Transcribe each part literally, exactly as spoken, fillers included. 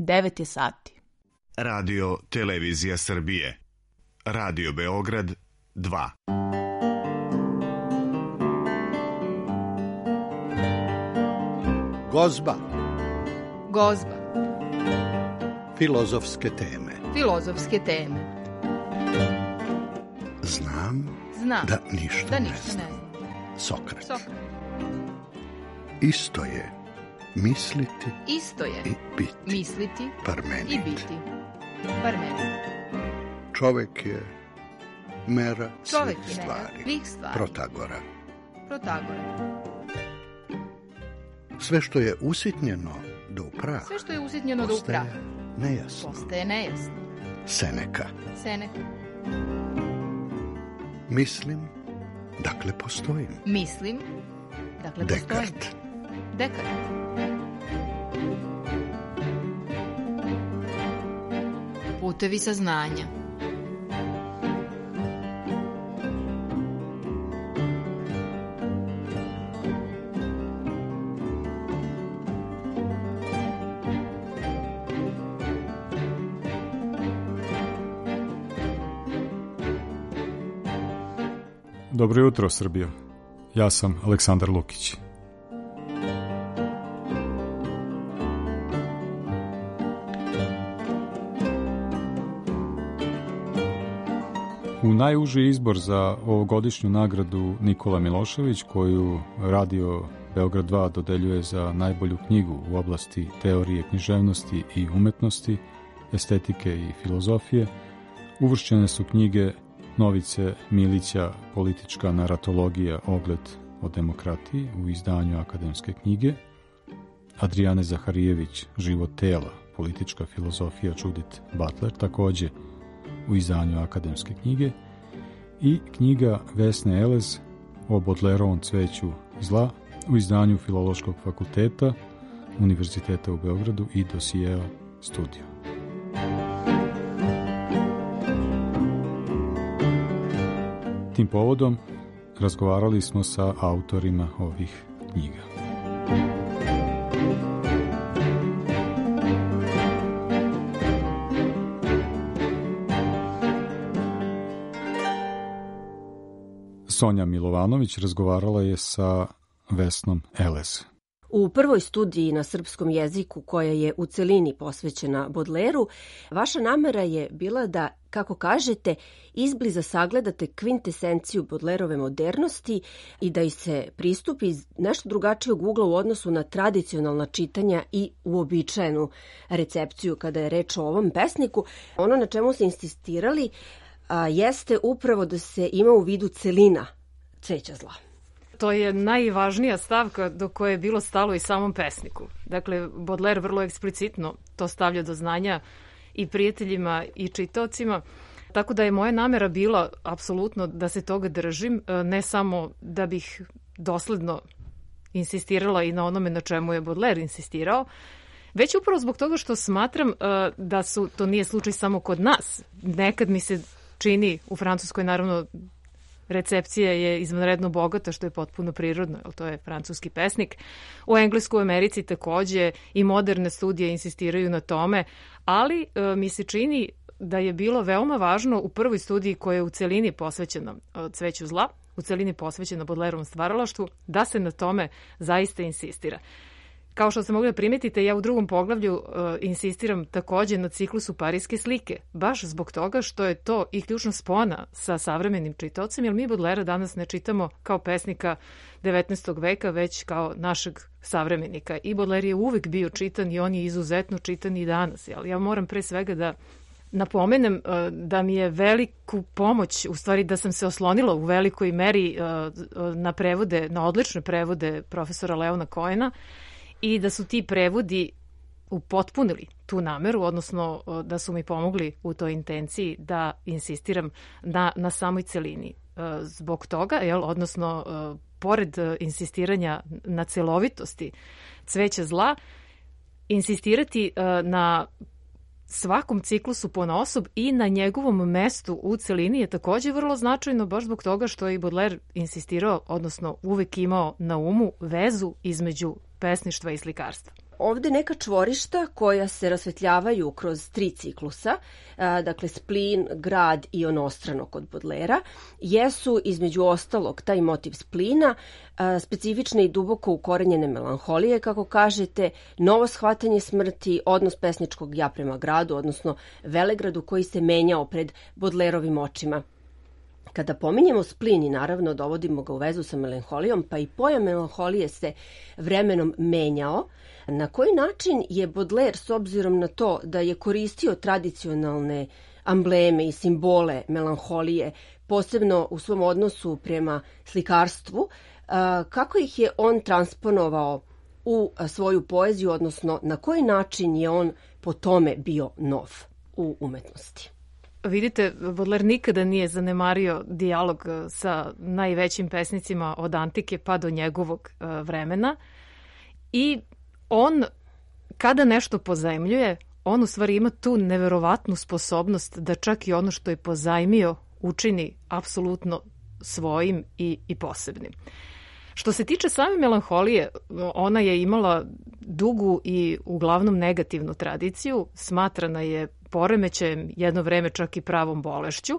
devet je sati. Radio Televizija Srbije. Radio Beograd dva. Gozba. Gozba. Filozofske teme. Filozofske teme. Znam, Znam da ništa, da ne, ništa znam. ne znam. Sokrat. Sokrat. Isto je misliti Isto je i biti. misliti Parmenid. i biti. Parmenid. Čovek je mera Čovek svih je stvari. mera svih stvari. Protagora. Protagora. Sve što je usitnjeno do upraha, Sve što je usitnjeno do upraha postaje nejasno. postaje nejasno. Seneka. Seneka. Mislim, dakle postojim. Mislim, dakle postojim. Dekart. Dekart. Putevi saznanja. Dobro jutro, Srbija. Ja sam Aleksandar Lukić. U najuži izbor za ovogodišnju nagradu Nikola Milošević, koju Radio Beograd dva dodeljuje za najbolju knjigu u oblasti teorije književnosti i umetnosti, estetike i filozofije, uvršćene su knjige Novice Milića, Politička naratologija, ogled o demokratiji u izdanju Akademske knjige, Adrijane Zaharijević, Život tela, Politička filozofija, Judith Butler, takođe u izdanju Akademske knjige, i knjiga Vesne Elez o Bodlerovom cveću zla u izdanju Filološkog fakulteta Univerziteta u Beogradu i Dosijea studio. Tim povodom razgovarali smo sa autorima ovih knjiga. Sonja Milovanović razgovarala je sa Vesnom Elez. U prvoj studiji na srpskom jeziku, koja je u celini posvećena Bodleru, vaša namera je bila da, kako kažete, izbliza sagledate kvintesenciju Bodlerove modernosti i da ih se pristupi iz nešto drugačijeg ugla u odnosu na tradicionalna čitanja i uobičajenu recepciju kada je reč o ovom pesniku. Ono na čemu ste insistirali a, jeste upravo da se ima u vidu celina cveća zla. To je najvažnija stavka do koje je bilo stalo i samom pesniku. Dakle, Baudelaire vrlo eksplicitno to stavlja do znanja i prijateljima i čitaocima, tako da je moja namera bila apsolutno da se toga držim, ne samo da bih dosledno insistirala i na onome na čemu je Baudelaire insistirao, već upravo zbog toga što smatram da su, to nije slučaj samo kod nas. Nekad mi se čini, u Francuskoj naravno recepcija je izvanredno bogata, što je potpuno prirodno, jer to je francuski pesnik. U Engleskoj, u Americi takođe i moderne studije insistiraju na tome, ali e, mi se čini da je bilo veoma važno u prvoj studiji koja je u celini posvećena cveću zla, u celini posvećena Baudelaireovom stvaralaštvu, da se na tome zaista insistira. Kao što ste mogli da primetite, ja u drugom poglavlju uh, insistiram takođe na ciklusu Pariske slike, baš zbog toga što je to i ključna spona sa savremenim čitaocem, jer mi Baudelaire danas ne čitamo kao pesnika devetnaestog veka, već kao našeg savremenika. I Baudelaire je uvek bio čitan i on je izuzetno čitan i danas. Jel? Ja moram pre svega da napomenem uh, da mi je veliku pomoć, u stvari da sam se oslonila u velikoj meri uh, na prevode, na odlične prevode profesora Leona Cohena, i da su ti prevodi upotpunili tu nameru, odnosno da su mi pomogli u toj intenciji da insistiram na, na samoj celini. Zbog toga, jel, odnosno pored insistiranja na celovitosti cveća zla, insistirati na svakom ciklusu ponaosob i na njegovom mestu u celini je takođe vrlo značajno, baš zbog toga što je i Baudelaire insistirao, odnosno uvek imao na umu vezu između pesništva i slikarstva. ovde neka čvorišta koja se rasvetljavaju kroz tri ciklusa, dakle splin, grad i onostrano kod Bodlera, jesu između ostalog taj motiv splina, specifične i duboko ukorenjene melanholije, kako kažete, novo shvatanje smrti, odnos pesničkog ja prema gradu, odnosno Velegradu koji se menjao pred Bodlerovim očima. Kada pominjemo splin i naravno dovodimo ga u vezu sa melanholijom, pa i pojam melanholije se vremenom menjao, na koji način je Baudelaire, s obzirom na to da je koristio tradicionalne ambleme i simbole melanholije, posebno u svom odnosu prema slikarstvu, kako ih je on transponovao u svoju poeziju, odnosno na koji način je on po tome bio nov u umetnosti? Vidite, Baudelaire nikada nije zanemario dijalog sa najvećim pesnicima od antike pa do njegovog vremena i on, kada nešto pozajmljuje, on u stvari ima tu neverovatnu sposobnost da čak i ono što je pozajmio učini apsolutno svojim i, i posebnim. Što se tiče same melanholije, ona je imala dugu i uglavnom negativnu tradiciju, smatrana je poremećajem, jedno vreme čak i pravom bolešću,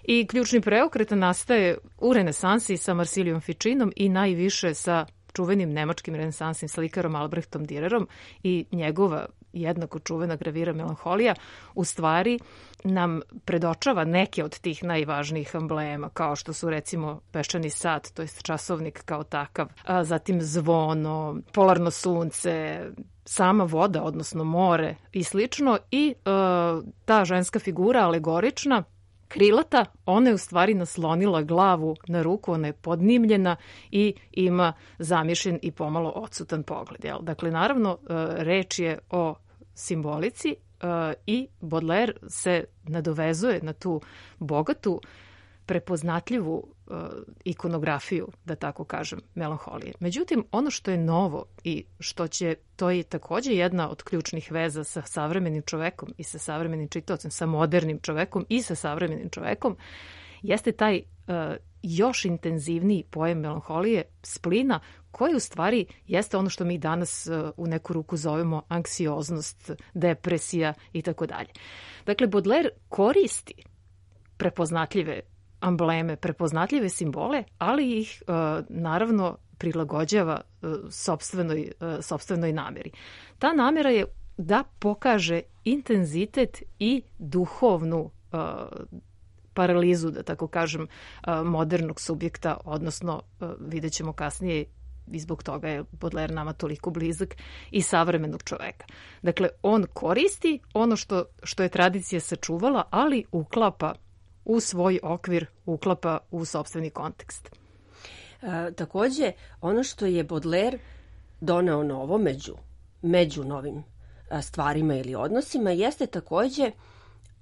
i ključni preokret nastaje u renesansi sa Marsilijom Ficinom i najviše sa čuvenim nemačkim renesansnim slikarom Albrechtom Dürerom, i njegova jednako čuvena gravira Melanholija u stvari nam predočava neke od tih najvažnijih amblema, kao što su recimo peščani sat, to je časovnik kao takav, a zatim zvono, polarno sunce, sama voda, odnosno more i slično, i e, ta ženska figura alegorična, krilata, ona je u stvari naslonila glavu na ruku, ona je podnimljena i ima zamišljen i pomalo odsutan pogled. Jel? Dakle, naravno, reč je o simbolici i Baudelaire se nadovezuje na tu bogatu, prepoznatljivu ikonografiju, da tako kažem, melanholije. Međutim, ono što je novo i što će, to je takođe jedna od ključnih veza sa savremenim čovekom i sa savremenim čitaocem, sa modernim čovekom i sa savremenim čovekom, jeste taj uh, još intenzivniji pojam melanholije, splina, koji u stvari jeste ono što mi danas uh, u neku ruku zovemo anksioznost, depresija i tako dalje. Dakle, Baudelaire koristi prepoznatljive ambleme, prepoznatljive simbole, ali ih uh, naravno prilagođava uh, sopstvenoj, uh, sopstvenoj nameri. Ta namera je da pokaže intenzitet i duhovnu uh, paralizu, da tako kažem, uh, modernog subjekta, odnosno uh, vidjet ćemo kasnije, i zbog toga je Baudelaire nama toliko blizak, i savremenog čoveka. Dakle, on koristi ono što, što je tradicija sačuvala, ali uklapa u svoj okvir, uklapa u sopstveni kontekst. E, takođe, ono što je Baudelaire doneo novo među, među novim stvarima ili odnosima jeste takođe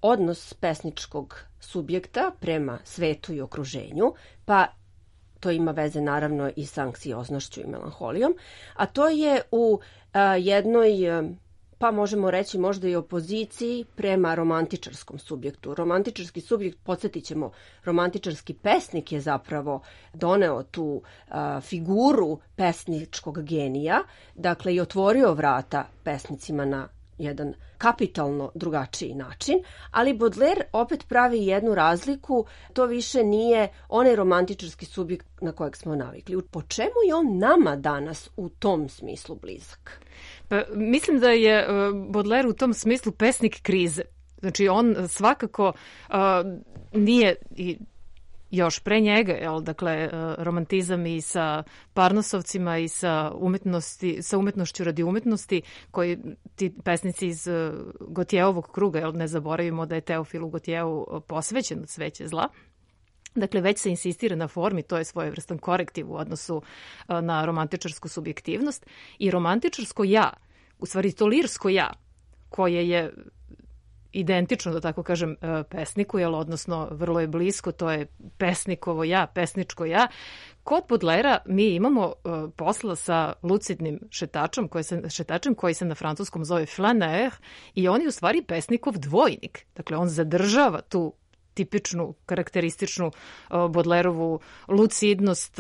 odnos pesničkog subjekta prema svetu i okruženju, pa to ima veze naravno i sa anksioznošću i melanholijom, a to je u a, jednoj, pa možemo reći možda i opoziciji prema romantičarskom subjektu. Romantičarski subjekt, podsjetit ćemo, romantičarski pesnik je zapravo doneo tu a, figuru pesničkog genija, dakle i otvorio vrata pesnicima na jedan kapitalno drugačiji način, ali Baudelaire opet pravi jednu razliku, to više nije onaj romantičarski subjekt na kojeg smo navikli. Po čemu je on nama danas u tom smislu blizak? Pa, mislim da je Baudelaire u tom smislu pesnik krize. Znači, on svakako uh, nije i još pre njega, jel, dakle, romantizam i sa Parnosovcima i sa, umetnosti, sa umetnošću radi umetnosti, koji ti pesnici iz Gotjeovog kruga, jel, ne zaboravimo da je Teofilu Gotjevu posvećen od Cveće zla. Dakle, već se insistira na formi, to je svojevrstan korektiv u odnosu na romantičarsku subjektivnost. I romantičarsko ja, u stvari to lirsko ja, koje je identično, da tako kažem, pesniku, jel, odnosno vrlo je blisko, to je pesnikovo ja, pesničko ja. Kod Baudelaira mi imamo uh, posla sa lucidnim šetačem koji se, šetačem koji se na francuskom zove flaneur, i on je u stvari pesnikov dvojnik. Dakle, on zadržava tu tipičnu, karakterističnu Bodlerovu lucidnost,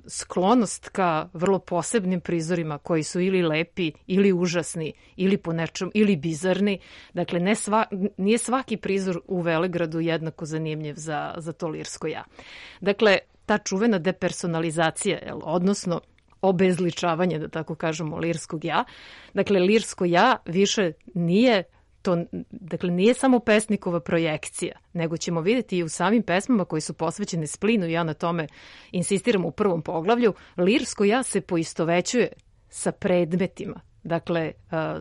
sklonost ka vrlo posebnim prizorima koji su ili lepi, ili užasni, ili po nečem, ili bizarni. Dakle, ne sva, nije svaki prizor u Velegradu jednako zanimljiv za, za to lirsko ja. Dakle, ta čuvena depersonalizacija, jel, odnosno obezličavanje, da tako kažemo, lirskog ja. Dakle, lirsko ja više nije to, dakle, nije samo pesnikova projekcija, nego ćemo vidjeti i u samim pesmama koji su posvećene splinu, i ja na tome insistiram u prvom poglavlju, lirsko ja se poistovećuje sa predmetima, dakle,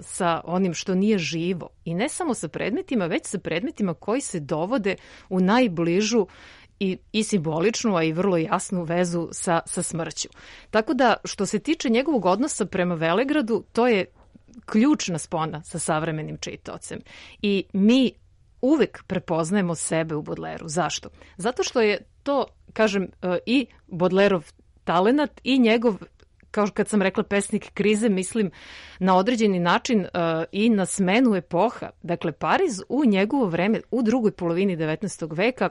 sa onim što nije živo. I ne samo sa predmetima, već sa predmetima koji se dovode u najbližu i, i simboličnu, a i vrlo jasnu vezu sa, sa smrću. Tako da, što se tiče njegovog odnosa prema Velegradu, to je ključna spona sa savremenim čitaocem. I mi uvek prepoznajemo sebe u Bodleru. Zašto? Zato što je to, kažem, i Bodlerov talenat i njegov, kao kad sam rekla, pesnik krize, mislim na određeni način uh, i na smenu epoha. Dakle, Pariz u njegovo vreme, u drugoj polovini devetnaestog veka,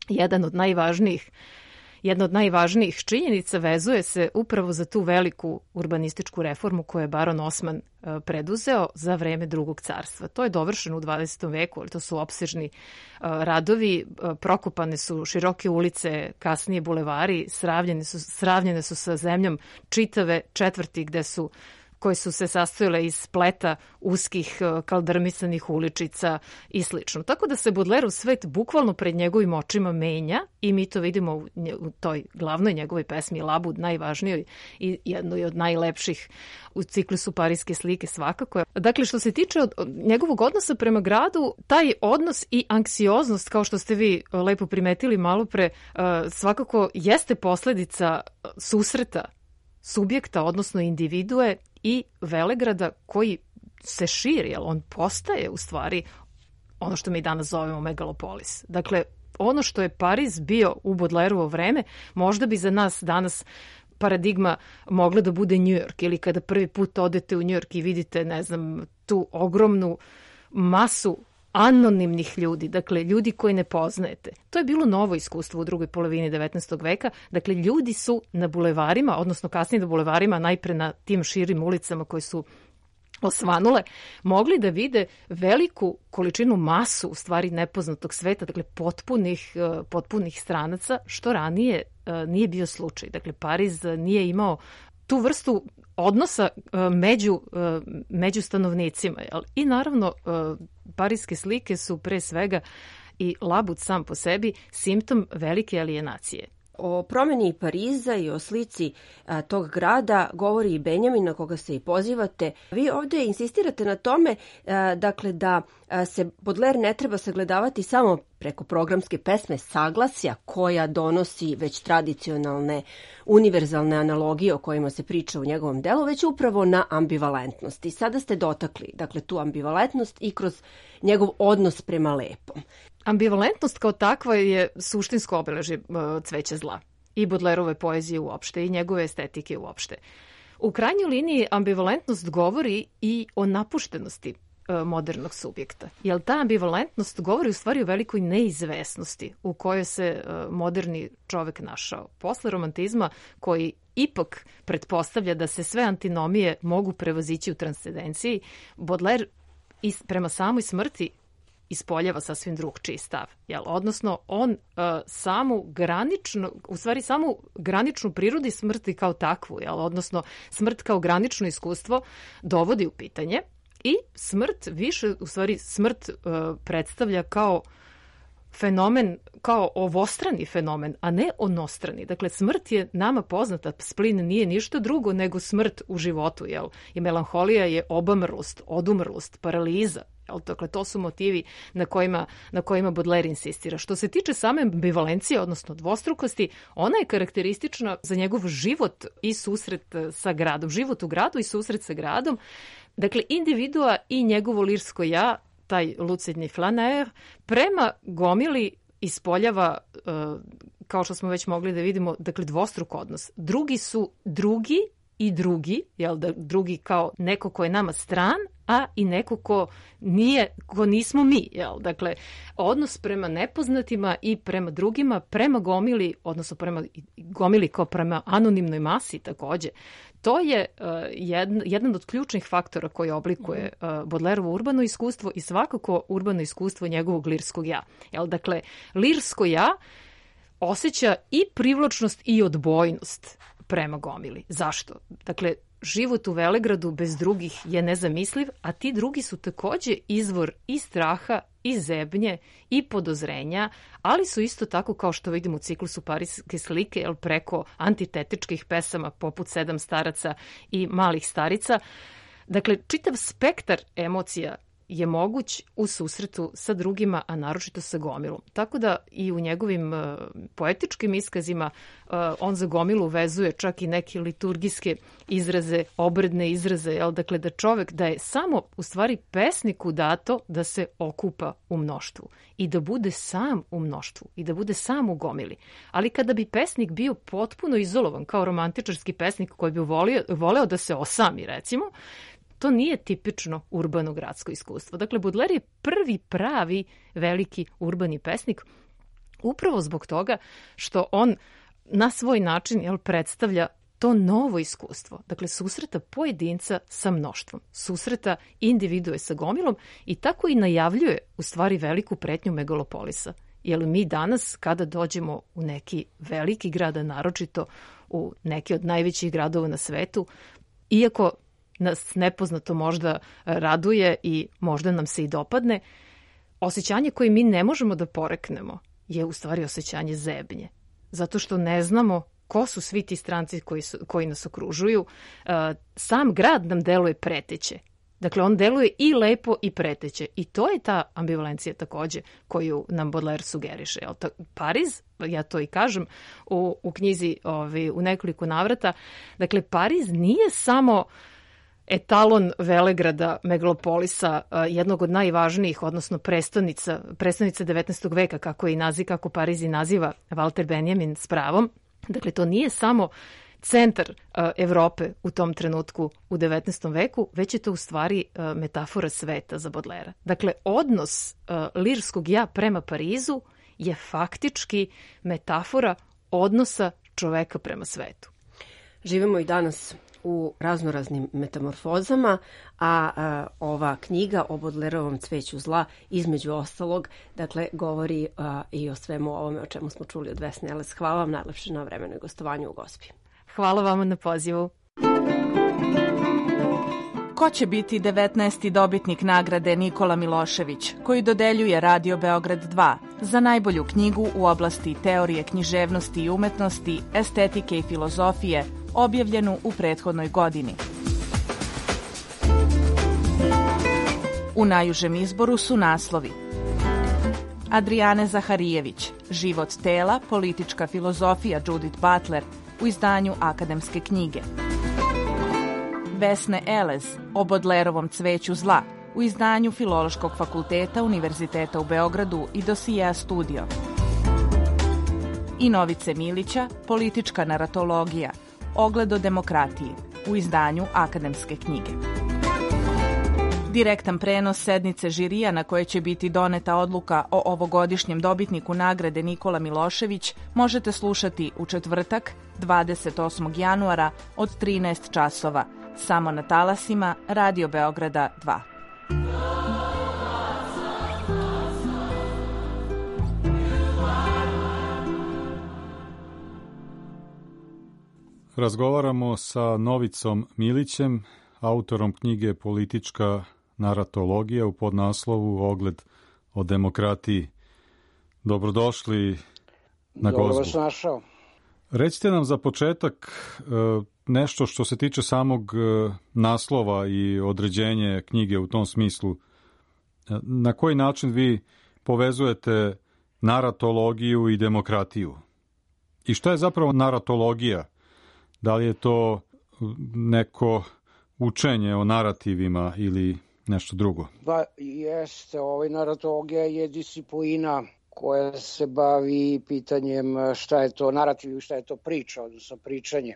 jedan od najvažnijih Jedna od najvažnijih činjenica vezuje se upravo za tu veliku urbanističku reformu koju je baron Osman preduzeo za vreme Drugog carstva. To je dovršeno u dvadesetom veku, ali to su opsežni radovi, prokopane su široke ulice, kasnije bulevari, sravnjene su, sravnjene su sa zemljom čitave četvrti gde su koje su se sastojile iz spleta uskih kaldrmisanih uličica i slično. Tako da se Bodlerov svet bukvalno pred njegovim očima menja i mi to vidimo u, u toj glavnoj njegovoj pesmi Labud, najvažnijoj i jednoj od najlepših u ciklusu Pariske slike svakako. Dakle, što se tiče od, od njegovog odnosa prema gradu, taj odnos i anksioznost, kao što ste vi lepo primetili malo pre, svakako jeste posledica susreta subjekta, odnosno individue i Velegrada koji se širi, jer on postaje u stvari ono što mi danas zovemo megalopolis. Dakle, ono što je Pariz bio u Bodlerovo vreme, možda bi za nas danas paradigma mogla da bude New York, ili kada prvi put odete u New York i vidite, ne znam, tu ogromnu masu anonimnih ljudi, dakle ljudi koji ne poznajete. To je bilo novo iskustvo u drugoj polovini devetnaestog veka. Dakle, ljudi su na bulevarima, odnosno kasnije na bulevarima, najpre na tim širim ulicama koje su osvanule, mogli da vide veliku količinu masu u stvari nepoznatog sveta, dakle potpunih, potpunih stranaca, što ranije nije bio slučaj. Dakle, Pariz nije imao tu vrstu odnosa među, među stanovnicima. I naravno, Pariske slike su pre svega i Labud sam po sebi simptom velike alijenacije. O promjeni Pariza i o slici a, tog grada govori i Benjamin, na koga se i pozivate. Vi ovdje insistirate na tome a, dakle, da a, se Baudelaire ne treba sagledavati samo preko programske pesme saglasja koja donosi već tradicionalne univerzalne analogije o kojima se priča u njegovom delu, već upravo na ambivalentnost. I sada ste dotakli dakle, tu ambivalentnost i kroz njegov odnos prema lepom. Ambivalentnost kao takva je suštinsko obeležje cveća zla i Baudelaireove poezije uopšte i njegove estetike uopšte. U krajnjoj liniji ambivalentnost govori i o napuštenosti modernog subjekta. Jer ta ambivalentnost govori u stvari o velikoj neizvesnosti u kojoj se moderni čovek našao. Posle romantizma koji ipak pretpostavlja da se sve antinomije mogu prevazići u transcendenciji, Baudelaire prema samoj smrti ispoljava sasvim drugčiji stav. Jel? Odnosno, on uh, samu graničnu, u stvari samu graničnu prirodi smrti kao takvu, jel? Odnosno smrt kao granično iskustvo dovodi u pitanje i smrt više, u stvari smrt uh, predstavlja kao fenomen, kao ovostrani fenomen, a ne onostrani. Dakle, smrt je nama poznata, splin nije ništa drugo nego smrt u životu, jel? I melanholija je obamrlost, odumrlost, paraliza. Dakle, to su motivi na kojima, na kojima Baudelaire insistira. Što se tiče same ambivalencije, odnosno dvostrukosti, ona je karakteristična za njegov život i susret sa gradom. Život u gradu i susret sa gradom. Dakle, individua i njegovo lirsko ja, taj lucidni flaneur, prema gomili ispoljava, kao što smo već mogli da vidimo, dakle, dvostruk odnos. Drugi su drugi i drugi, jel da drugi kao neko ko je nama stran, a i neko ko nije, ko nismo mi, jel? Dakle, odnos prema nepoznatima i prema drugima, prema gomili, odnosno prema gomili kao prema anonimnoj masi takođe. To je uh, jedan, jedan od ključnih faktora koji oblikuje uh, Baudelaireovo urbano iskustvo i svakako urbano iskustvo njegovog lirskog ja. Jel? Dakle, lirsko ja osjeća i privlačnost i odbojnost prema gomili. Zašto? Dakle, život u Velegradu bez drugih je nezamisliv, a ti drugi su takođe izvor i straha, i zebnje, i podozrenja, ali su isto tako, kao što vidimo u ciklusu Pariske slike, jel, preko antitetičkih pesama poput Sedam staraca i Malih starica. Dakle, čitav spektar emocija je moguć u susretu sa drugima, a naročito sa gomilom. Tako da i u njegovim uh, poetičkim iskazima uh, on za gomilu vezuje čak i neke liturgijske izraze, obredne izraze, jel? Dakle, da čovek, da je samo u stvari pesniku dato da se okupa u mnoštvu i da bude sam u mnoštvu i da bude sam u gomili. Ali kada bi pesnik bio potpuno izolovan kao romantičarski pesnik koji bi volio, voleo da se osami, recimo, to nije tipično urbano gradsko iskustvo. Dakle, Baudelaire je prvi pravi veliki urbani pesnik upravo zbog toga što on na svoj način, jel, predstavlja to novo iskustvo. Dakle, susreta pojedinca sa mnoštvom, susreta individue sa gomilom i tako i najavljuje u stvari veliku pretnju megalopolisa. Jer mi danas, kada dođemo u neki veliki grad, a naročito u neki od najvećih gradova na svetu, iako nas nepoznato možda raduje i možda nam se i dopadne, osjećanje koje mi ne možemo da poreknemo je u stvari osjećanje zebnje. Zato što ne znamo ko su svi ti stranci koji, su, koji nas okružuju. Sam grad nam deluje preteće. Dakle, on deluje i lepo i preteće. I to je ta ambivalencija takođe koju nam Baudelaire sugeriše. Pariz, ja to i kažem u, u knjizi ovi, u nekoliko navrata, dakle, Pariz nije samo etalon Velegrada, megalopolisa, jednog od najvažnijih, odnosno prestonica, prestonica devetnaestog veka, kako je i naziv, kako Pariz i naziva Walter Benjamin s pravom. Dakle, to nije samo centar uh, Evrope u tom trenutku u devetnaestom veku, već je to u stvari uh, metafora sveta za Baudelairea. Dakle, odnos uh, lirskog ja prema Parizu je faktički metafora odnosa čoveka prema svetu. Živimo i danas u raznoraznim metamorfozama, a, a ova knjiga o Baudelaireovom cveću zla, između ostalog, dakle, govori a, i o svemu ovome o čemu smo čuli od Vesne Eles. Hvala vam najlepše na vremenu i gostovanju u Gospi. Hvala vama na pozivu. Ko će biti devetnaesti dobitnik nagrade Nikola Milošević, koji dodeljuje Radio Beograd dva za najbolju knjigu u oblasti teorije književnosti i umetnosti, estetike i filozofije, objavljenu u prethodnoj godini? U najužem izboru su naslovi: Adriane Zaharijević, Život tela, politička filozofija Judith Butler u izdanju Akademske knjige; Vesne Eles, o Baudelaireovom cveću zla u izdanju Filološkog fakulteta Univerziteta u Beogradu i Dosija Studio; i Novice Milića, Politička naratologija, Ogledo demokratije u izdanju Akademske knjige. Direktan prenos sednice žirija na koje će biti doneta odluka o ovogodišnjem dobitniku nagrade Nikola Milošević možete slušati u četvrtak, dvadeset osmog januara od trinaest časova, samo na talasima Radio Beograda dva. Razgovaramo sa Novicom Milićem, autorom knjige Politička naratologija u podnaslovu Ogled o demokratiji. Dobrodošli na Gozbu. Dobro vas našao. Recite nam za početak nešto što se tiče samog naslova i određenje knjige u tom smislu. Na koji način vi povezujete naratologiju i demokratiju? I šta je zapravo naratologija? Da li je to neko učenje o narativima ili nešto drugo? Da, jeste. Ovaj, naratologija je disciplina koja se bavi pitanjem šta je to narativ i šta je to priča, odnosno pričanje.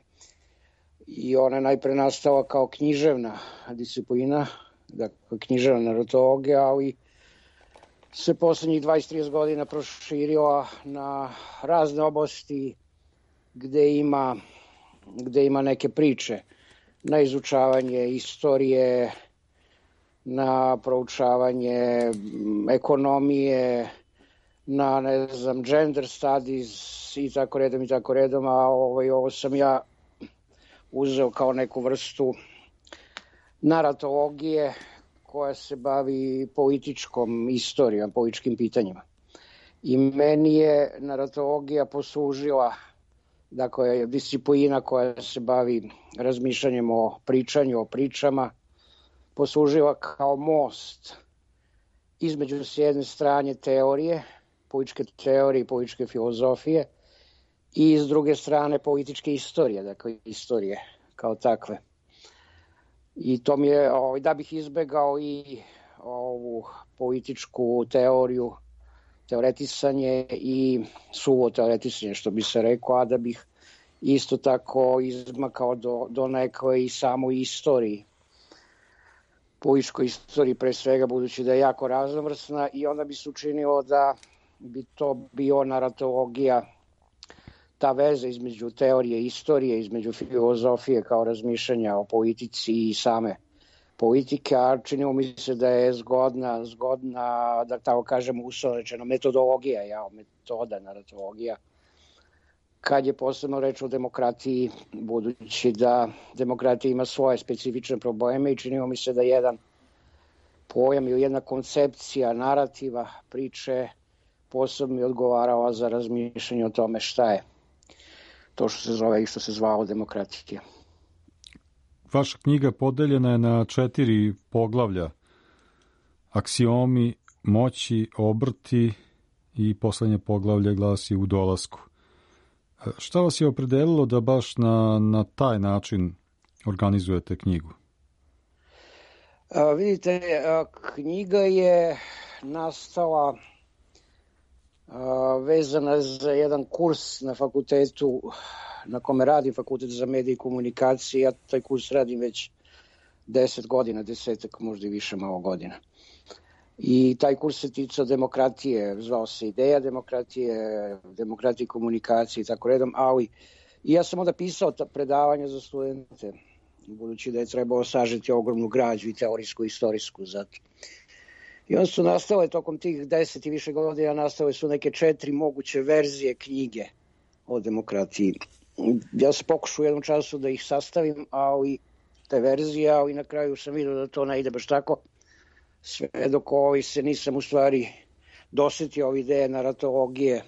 i ona je najpre nastala kao književna disciplina, dakle književna narratologija, ali se poslednjih dvadeset do trideset godina proširila na razne oblasti gde ima, gde ima neke priče, na izučavanje istorije, na proučavanje ekonomije, na, ne znam, gender studies i tako redom i tako redom, a ovaj, ovo sam ja uzeo kao neku vrstu naratologije koja se bavi političkom istorijom, političkim pitanjima. I meni je naratologija poslužila, dakle, disciplina koja se bavi razmišljanjem o pričanju, o pričama, poslužila kao most između s jedne strane teorije, političke teorije i političke filozofije, i s druge strane političke istorije, dakle istorije kao takve. I to mi je, da bih izbegao i ovu političku teoriju, teoretisanje i suvo teoretisanje, što bi se rekao, a da bih isto tako izmakao do, do nekoj i samoj istoriji, političkoj istoriji pre svega, budući da je jako raznovrsna, i onda bi se učinilo da bi to bio naratologija, ta veza između teorije i istorije, između filozofije kao razmišljanja o politici i same politike, a činilo mi se da je zgodna, zgodna, da tako kažem, uslovno rečeno, metodologija, ja, metoda naratologija, kad je posebno reč o demokratiji, budući da demokratija ima svoje specifične probleme, i činilo mi se da jedan pojam ili jedna koncepcija narativa, priče, posebno mi odgovarala za razmišljanje o tome šta je to što se zove i što se zvao demokratija. Vaša knjiga podeljena je na četiri poglavlja: aksiomi, moći, obrti i poslednje poglavlje glasi u dolasku. Šta vas je opredelilo da baš na, na taj način organizujete knjigu? A, vidite, a, knjiga je nastala a, vezana za jedan kurs na fakultetu na kome radim, Fakultet za medije i komunikacije. Ja taj kurs radim već deset godina, desetak, možda i više malo godina. I taj kurs se ticao demokratije, zvao se Ideja demokratije, demokratije i komunikacije i tako redom, ali i ja sam onda pisao ta predavanja za studente, budući da je trebalo sažeti ogromnu građu i teorijsku i istorijsku zato. I onda su nastale tokom tih deset i više godina, nastale su neke četiri moguće verzije knjige o demokratiji. Ja sam pokušao u jednom času da ih sastavim, ali te verzije, ali na kraju sam vidio da to ne ide baš tako, sve dok ovaj se nisam u stvari dosetio ove ideje naratologije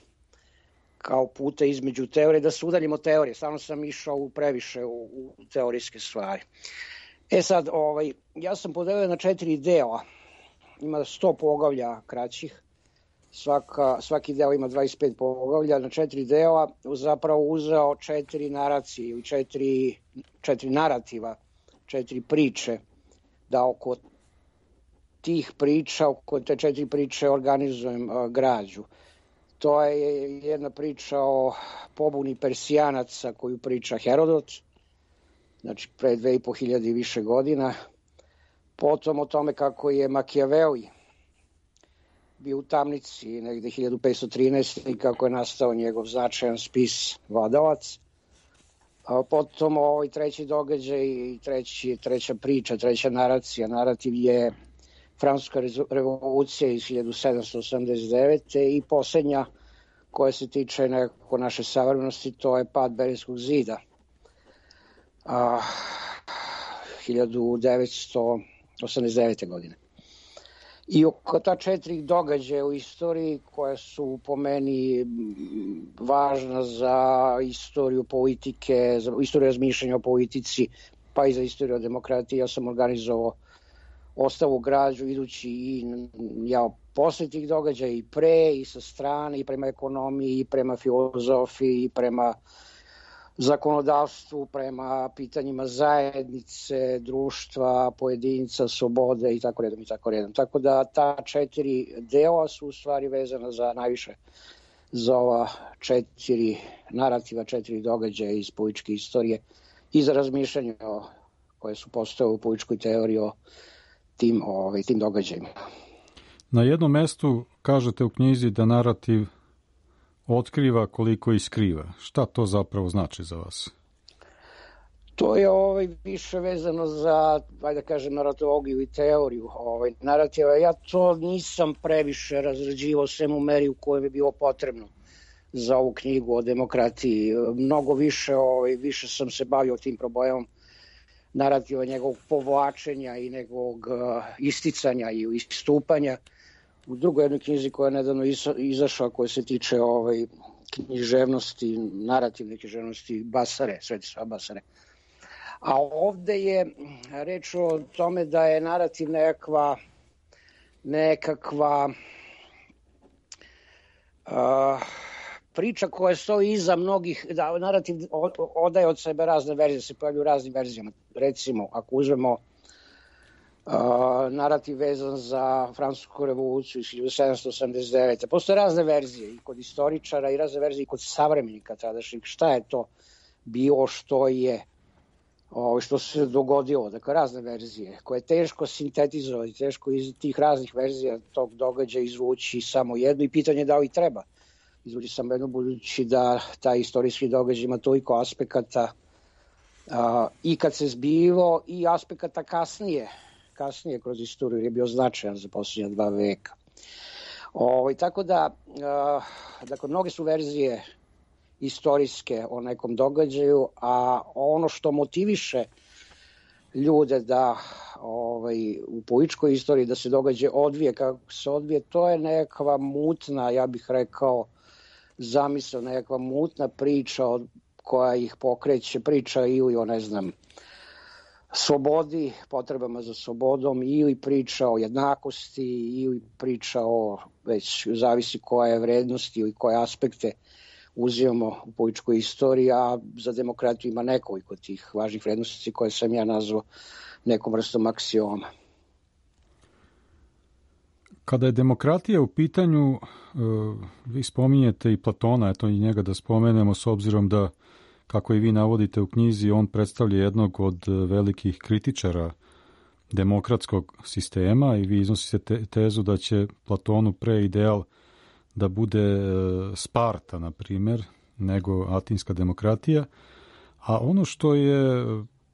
kao puta između teorije, da se udaljim od teorije, samo sam išao u previše u, u teorijske stvari. E sad, ovaj, ja sam podelio na četiri dela, ima sto poglavlja kraćih, Svaka, svaki deo ima dvadeset pet poglavlja, na četiri dela zapravo uzeo četiri naracije ili četiri, četiri narativa, četiri priče, da oko tih priča, oko te četiri priče organizujem uh, građu. To je jedna priča o pobuni Persijanaca koju priča Herodot, znači pre dve i po hiljade i više godina. Potom o tome kako je Makijaveli bio u tamnici negde hiljadu petsto trinaeste. i kako je nastao njegov značajan spis Vladalac. A potom ovaj treći događaj i treći, treća priča, treća naracija, narativ je Francuska revolucija iz hiljadu sedamsto osamdeset devete. i posljednja koja se tiče nekako naše savremenosti, to je pad Berlinskog zida a, hiljadu devetsto osamdeset devete. godine. I oko ta četiri događaja u istoriji koja su po meni važna za istoriju politike, za istoriju razmišljanja o politici, pa i za istoriju o demokratiji, ja sam organizovao ostavu građu idući i ja posle tih događaja i pre i sa strane i prema ekonomiji i prema filozofiji i prema zakonodavstvu, prema pitanjima zajednice, društva, pojedinca, slobode i tako redom i tako redom. Tako da ta četiri dela su u stvari vezana za najviše za ova četiri narativa, četiri događaja iz političke istorije i za razmišljanje o, koje su postoje u političkoj teoriji o tim, ovaj, tim događajima. Na jednom mestu kažete u knjizi da narativ otkriva koliko i skriva. Šta to zapravo znači za vas? To je ovaj, više vezano za, ajde da kažem, naratologiju i teoriju ovaj, narativa. Ja to nisam previše razrađivao sem u meri u kojoj bi bilo potrebno za ovu knjigu o demokratiji. Mnogo više, ovaj, više sam se bavio tim problemom narativa, njegovog povlačenja i njegovog uh, isticanja i istupanja. U drugoj jednoj knjizi koja je nedavno izašla, koja se tiče ovaj, književnosti, narativne književnosti Basare, Svetislava Basare. A ovde je reč o tome da je narativ nekakva, nekakva uh, priča koja stoji iza mnogih, da narativ odaje od sebe razne verzije, se pojavljuju raznim verzijama. Recimo, ako uzmemo uh, narativ vezan za Francusku revoluciju iz hiljadu sedamsto osamdeset devete. Postoje razne verzije i kod istoričara i razne verzije i kod savremenika tadašnjih. Šta je to bilo, što je Ovo što se dogodilo, dakle razne verzije, koje je teško sintetizovati, teško iz tih raznih verzija tog događaja izvući samo jednu i pitanje da li treba izvući samo jednu, budući da taj istorijski događaj ima toliko aspekata a, i kad se zbivo i aspekata kasnije, kasnije kroz istoriju je bio značajan za posljednja dva veka. Ovo, i tako da, a, dakle, mnoge su verzije istorijske o nekom događaju, a ono što motiviše ljude da ovaj, u političkoj istoriji da se događaj odvije kako se odvije, to je nekakva mutna, ja bih rekao, zamisao, nekakva mutna priča od, koja ih pokreće, priča ili o, ne znam, slobodi, potrebama za slobodom, ili priča o jednakosti, ili priča o, već zavisi koja je vrednost ili koje aspekte uzimamo u političkoj istoriji, a za demokratiju ima nekoliko tih važnih vrednosti koje sam ja nazvao nekom vrstom aksioma. Kada je demokratija u pitanju, vi spominjete i Platona, eto i njega da spomenemo, s obzirom da, kako i vi navodite u knjizi, on predstavlja jednog od velikih kritičara demokratskog sistema i vi iznosite tezu da će Platonu pre ideal da bude Sparta, na primjer, nego atinska demokratija. A ono što je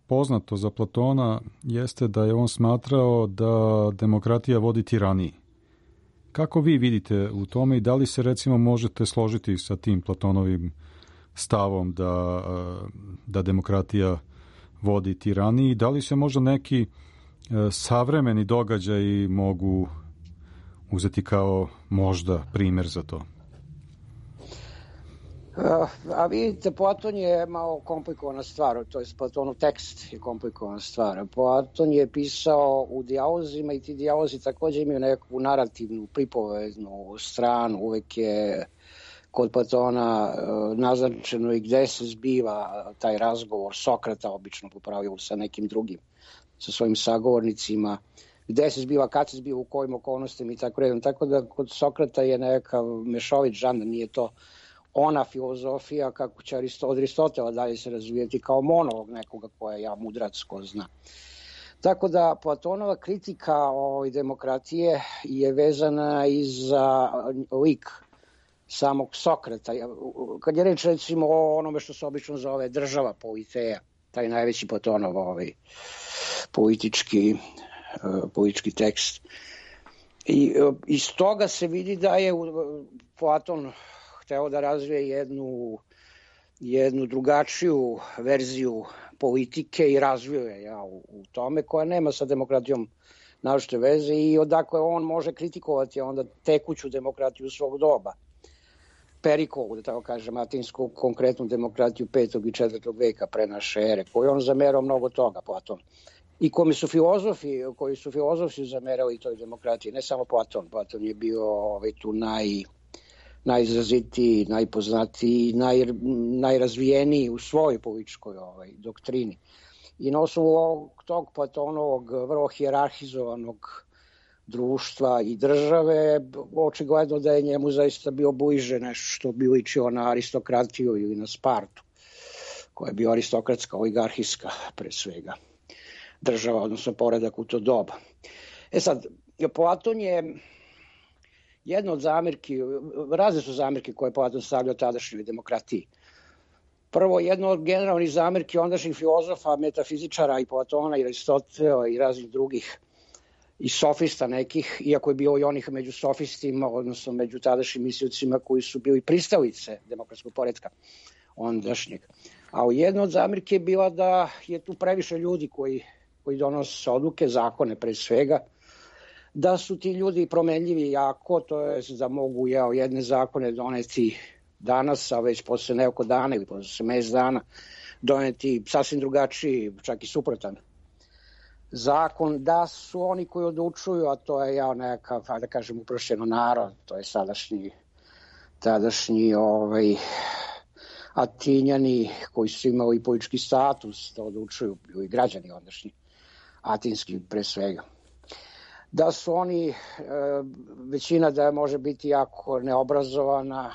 poznato za Platona jeste da je on smatrao da demokratija vodi tiraniji. Kako vi vidite u tome i da li se recimo možete složiti sa tim Platonovim stavom da, da demokratija vodi tiraniji? Da li se možda neki savremeni događaji mogu uzeti kao možda primjer za to? A vidite, Platon je malo komplikovana stvar, to je Platonov tekst je komplikovana stvar. Platon je pisao u dijalozima i ti dijalozi također imaju neku narativnu, pripovednu stranu. Uvek je kod Platona naznačeno i gde se zbiva taj razgovor Sokrata, obično po pravilu sa nekim drugim, sa svojim sagovornicima, gde se zbiva, kad se zbiva, u kojim okolnostima i tako redom. Tako da kod Sokrata je nekav mešovit žanr, nije to ona filozofija kako će od Aristotela dalje se razvijeti kao monolog nekoga koja je ja mudrac ko zna. Tako da Platonova kritika o demokratije je vezana i za lik samog Sokrata. Kad je reč recimo o onome što se obično zove država politeja, taj najveći Platonov ovaj, politički, politički tekst. I iz toga se vidi da je Platon hteo da razvije jednu, jednu drugačiju verziju politike i razvio je ja, u, u tome, koja nema sa demokratijom naročite veze i odakle on može kritikovati onda tekuću demokratiju svog doba. Perikolu, da tako kažem, atinsku konkretnu demokratiju petog i četvrtog veka pre naše ere, koju on zamerao mnogo toga, Platon. I kome su filozofi, koji su filozofi zamerali toj demokratiji, ne samo Platon. Platon je bio ovaj, tu naj... najizrazitiji, najpoznatiji, naj, najrazvijeniji u svojoj političkoj ovaj, doktrini. I na osnovu tog Platonovog vrlo hijerarhizovanog društva i države, očigledno da je njemu zaista bio bliže nešto što bi ličio na aristokratiju ili na Spartu, koja je bio aristokratska, oligarhijska pre svega država, odnosno poredak u to doba. E sad, Platon je jedna od zamirki, razne su zamirke koje Platon stavljao tadašnjoj demokratiji. Prvo, jedno od generalnih zamirki ondašnjih filozofa, metafizičara i Platona i Aristotela i raznih drugih i sofista nekih, iako je bilo i onih među sofistima, odnosno među tadašnjim mislioцima koji su bili pristalice demokratskog poretka ondašnjeg. A jedna od zamirke je bila da je tu previše ljudi koji, koji donose odluke, zakone pre svega, da su ti ljudi promenljivi jako, to je da mogu jeo, jedne zakone doneti danas, a već posle nekoliko dana ili posle mesec dana doneti sasvim drugačiji, čak i suprotan zakon, da su oni koji odlučuju, a to je ja nekakav, da kažem, uprošćeno narod, to je sadašnji, tadašnji ovaj, Atinjani koji su imali politički status da odlučuju, i građani ondašnji, atinski pre svega. Da su oni, većina da može biti jako neobrazovana,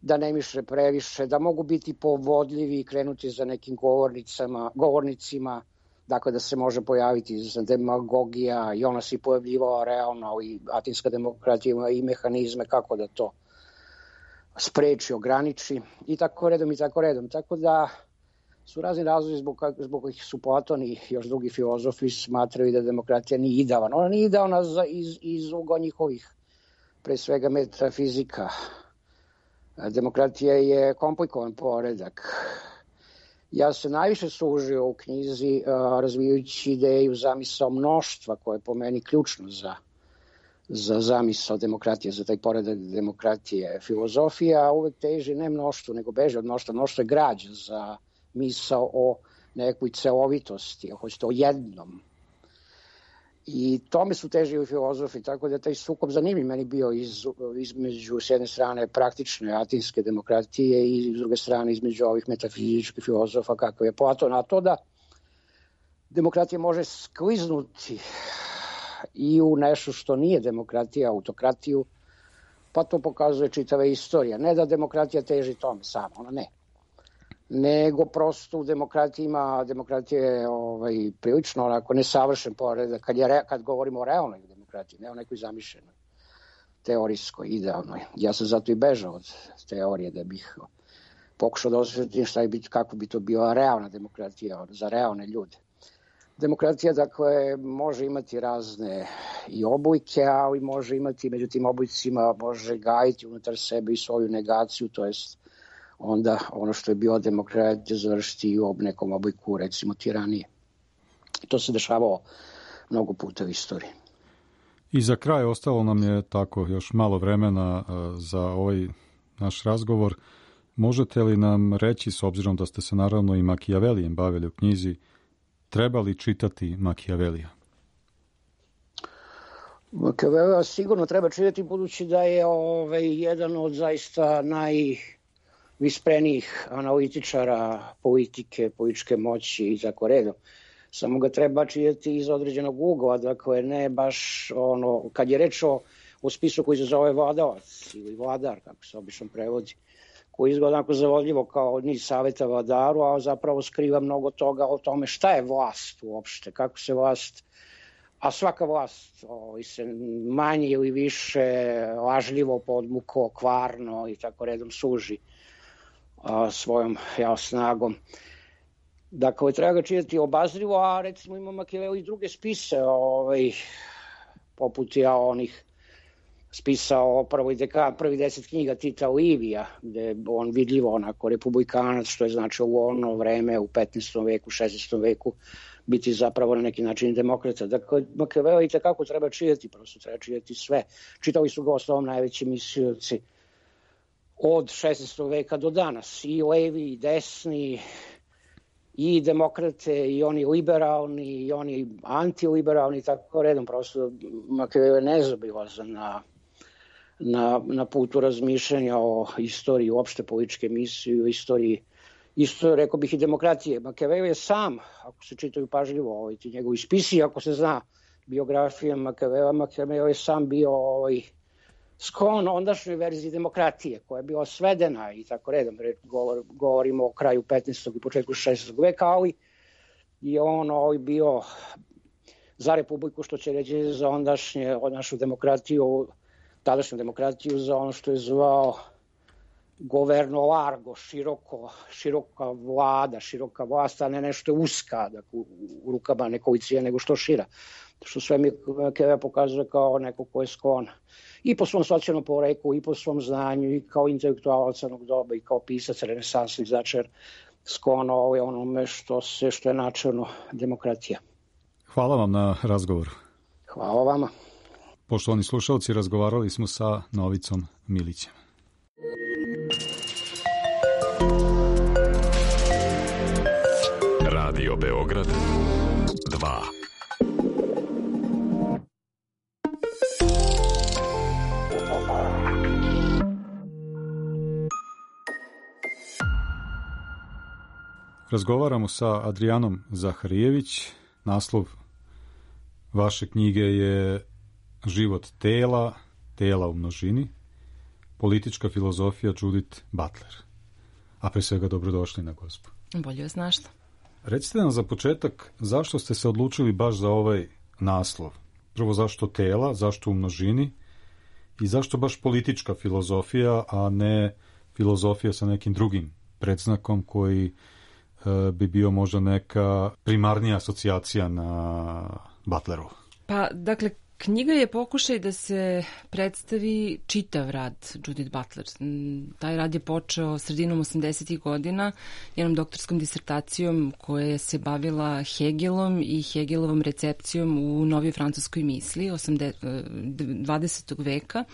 da ne mišle previše, da mogu biti povodljivi i krenuti za nekim govornicama, govornicima, dakle da se može pojaviti demagogija i ona se pojavljivala realno i atinska demokratija ima i mehanizme kako da to spreči, ograniči i tako redom i tako redom. Tako da su razni razlozi zbog, zbog kojih su Platon i još drugi filozofi smatrali da demokratija nije idealna. Ona nije idealna za, iz, iz ugla njihovih, pre svega metafizika. Demokratija je komplikovan poredak. Ja se najviše služio u knjizi uh, razvijajući ideju zamisao mnoštva, koja je po meni ključno za, za zamisao demokratije, za taj poredak demokratije. Filozofija uvek teži ne mnoštvu, nego beže od mnoštva. Mnoštvo je građa za misao o nekoj celovitosti, hoćete o jednom. I tome su težili filozofi, tako da taj sukob zanimljiv meni bio iz, između s jedne strane praktične atinske demokratije i s druge strane između ovih metafizičkih filozofa kako je Platon. A to da demokratija može skliznuti i u nešto što nije demokratija, autokratiju, pa to pokazuje čitava istorija. Ne da demokratija teži tome samo, ona ne. Nego prosto u demokratiji ima, demokratija je ovaj, prilično onako nesavršen poredak, kad, je, kad govorimo o realnoj demokratiji, ne o nekoj zamišljenoj, teorijskoj, idealnoj. Ja sam zato i bežao od teorije da bih pokušao da osvetim šta je biti, kako bi to bila realna demokratija za realne ljude. Demokratija, dakle, može imati razne i oblike, ali može imati, među tim oblicima može gajiti unutar sebe i svoju negaciju, to jest onda ono što je bilo demokratija završiti u nekom obliku, recimo, tiranije. To se dešavalo mnogo puta u istoriji. I za kraj ostalo nam je tako još malo vremena za ovaj naš razgovor. Možete li nam reći, s obzirom da ste se naravno i Makijavelijem bavili u knjizi, treba li čitati Makijavelija? Makijavelija sigurno treba čitati, budući da je ovaj, jedan od zaista najvisprenijih analitičara politike, političke moći i tako redom. Samo ga treba čitati iz određenog ugla, dakle ne baš ono, kad je reč o, o spisu koji se zove vladavac ili vladar, kako se obično prevodi, koji izgleda onako zavodljivo kao niz saveta vladaru, a zapravo skriva mnogo toga o tome šta je vlast uopšte, kako se vlast, a svaka vlast ovaj, se manje ili više lažljivo, podmuklo, kvarno i tako redom služi a, svojom ja, snagom. Dakle, treba ga čitati obazrivo, a recimo ima Makijaveli i druge spise, ovaj, poput ja onih spisao prvi, deka, prvi deset knjiga Tita Livija, gde on vidljivo onako republikanac, što je značilo u ono vreme, u petnaestom veku, šesnaestom veku, biti zapravo na neki način demokrata. Dakle, Makijaveli itekako treba čitati, prosto treba čitati sve. Čitali su ga osnovom najveći mislioci od šesnaestog veka do danas, i levi, i desni, i demokrate, i oni liberalni, i oni antiliberalni, tako redom. Prosto Makijaveli je nezaobilazan na, na, na putu razmišljanja o istoriji, uopšte političke misije, o istoriji, isto rekao bih i demokratije. Makijaveli je sam, ako se čitaju pažljivo ovaj, ti njegovi spisi, ako se zna biografija Makijavela, Makijaveli je sam bio ovaj, sklon ondašnjoj verziji demokratije, koja je bila svedena i tako redom, govor, govorimo o kraju petnaestog i početku šesnaestog veka, ali je on ovaj bio za republiku, što će reći za ondašnje, ondašnju demokratiju, tadašnju demokratiju, za ono što je zvao governo largo, široko, široka vlada, široka vlast, a ne nešto uska, dakle, u, u rukama nekolicine, nego što šira. Što sve mi Keve pokazuje kao neko ko je sklon i po svom socijalnom poreklu, i po svom znanju, i kao intelektualac crnog doba, i kao pisac renesansni začer, sklon ovaj onome što, se, što je načelno demokratija. Hvala vam na razgovoru. Hvala vama. Poštovani slušalci, razgovarali smo sa Novicom Milićem. Radio Beograd dva. Razgovaramo sa Adrijanom Zaharijević. Naslov vaše knjige je Život tela, tela u množini, politička filozofija Judith Butler. A pre svega dobrodošli na Gospu. Bolje vas našla. Recite nam za početak zašto ste se odlučili baš za ovaj naslov. Prvo zašto tela, zašto u množini i zašto baš politička filozofija, a ne filozofija sa nekim drugim predznakom koji e, bi bio možda neka primarnija asocijacija na Butleru. Pa, dakle, knjiga je pokušaj da se predstavi čitav rad Judith Butler. Taj rad je počeo sredinom osamdesetih godina jednom doktorskom disertacijom koja se bavila Hegelom i Hegelovom recepcijom u novoj francuskoj misli dvadesetog veka